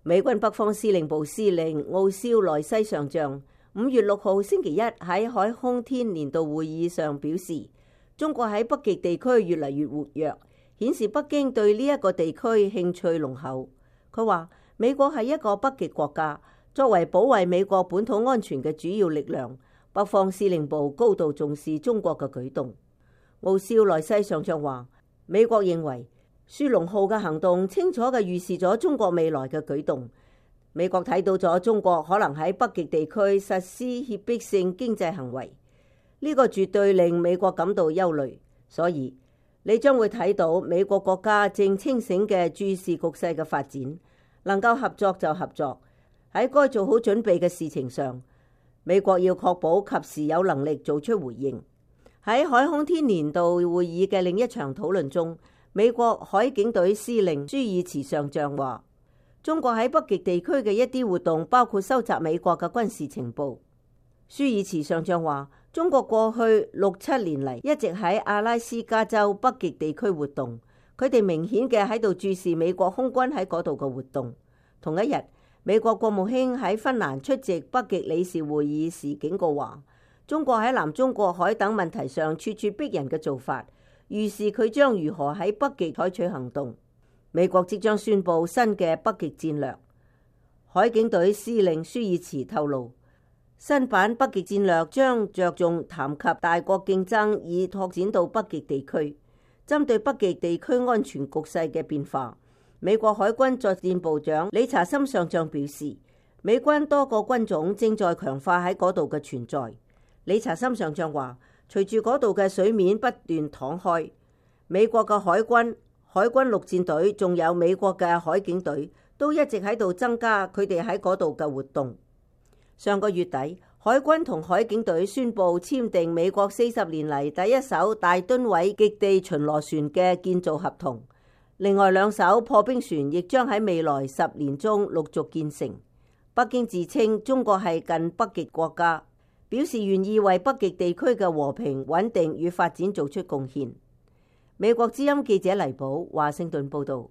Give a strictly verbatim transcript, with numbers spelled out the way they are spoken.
美軍北方司令部司令奧肖萊西上將五月六號星期一喺海空天年度會議上表示，中國喺北極地區越嚟越活躍，顯示北京對呢一個地區興趣濃厚。佢話美國係一個北極國家，作為保衛美國本土安全嘅主要力量，北方司令部高度重視中國嘅舉動。奧肖萊西上將話，美國認為雪龍號嘅行動清楚嘅預示咗中國未來嘅舉動。美國睇到咗中國可能喺北極地區實施脅迫性經濟行為，呢個絕對令美國感到憂慮。所以你將會睇到美國國家正清醒嘅注視局勢嘅發展，能夠合作就合作。喺該做好準備嘅事情上，美國要確保及時有能力做出回應。喺海空天年度會議嘅另一場討論中，美國海警隊司令舒爾茨上將話，中國喺北極地區嘅一啲活動包括收集美國嘅軍事情報。舒爾茨上將話，中國過去六七年嚟一直喺阿拉斯加州北極地區活動，佢哋明顯嘅喺度注視美國空軍喺嗰度嘅活動。同一日，美國國務卿喺芬蘭出席北極理事會議時警告話，中國喺南中國海等問題上咄咄逼人嘅做法，預示佢將如何喺北極採取行動。美國即將宣布新嘅北極戰略。海警隊司令舒爾茨透露，新版北極戰略將着重談及大國競爭，以拓展到北極地區。針對北極地區安全局勢嘅變化，美國海軍作戰部長理查森上將表示，美軍多個軍種正在強化喺嗰度嘅存在。理查森上將話，隨住嗰度嘅水面不斷淌開，美國嘅海軍、海軍陸戰隊仲有美國嘅海警隊都一直喺度增加佢哋喺嗰度嘅活動。上個月底，海軍同海警隊宣布簽訂美國四十年嚟第一艘大噸位極地巡邏船嘅建造合同，另外兩艘破冰船亦將喺未來十年中陸續建成。北京自稱中國係近北極國家，表示願意為北極地區嘅和平穩定與發展做出貢獻。美國之音記者黎寶華盛頓報道。